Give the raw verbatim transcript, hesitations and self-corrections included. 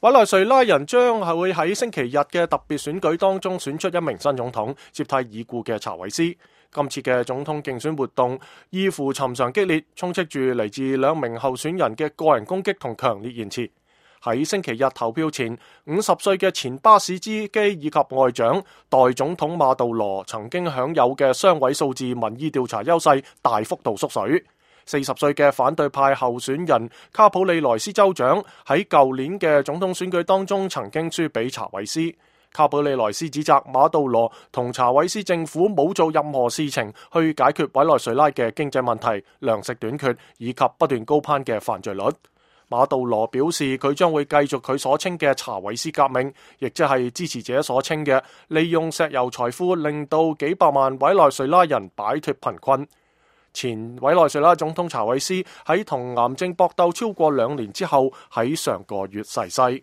委內瑞拉人將係會喺星期日嘅特別選舉當中選出一名新總統，接替已故嘅查韋斯。今次嘅總統競選活動異乎尋常激烈，充斥住嚟自兩名候選人嘅個人攻擊同強烈言辭。喺星期日投票前，五十歲嘅前巴士司機以及外長代總統馬杜羅曾經享有嘅雙位數字民意調查優勢大幅度縮水。四十歲嘅反對派候選人卡普里萊斯州長喺舊年嘅總統選舉當中曾經輸俾查韋斯。卡普里萊斯指責馬杜羅同查韋斯政府冇做任何事情去解決委內瑞拉嘅經濟問題、糧食短缺以及不斷高攀嘅犯罪率。馬杜羅表示佢將會繼續佢所稱嘅查韋斯革命，亦即係支持者所稱嘅利用石油財富令到幾百萬委內瑞拉人擺脫貧困。前委內瑞拉總統查韋斯喺同癌症搏鬥超過兩年之後喺上個月逝世。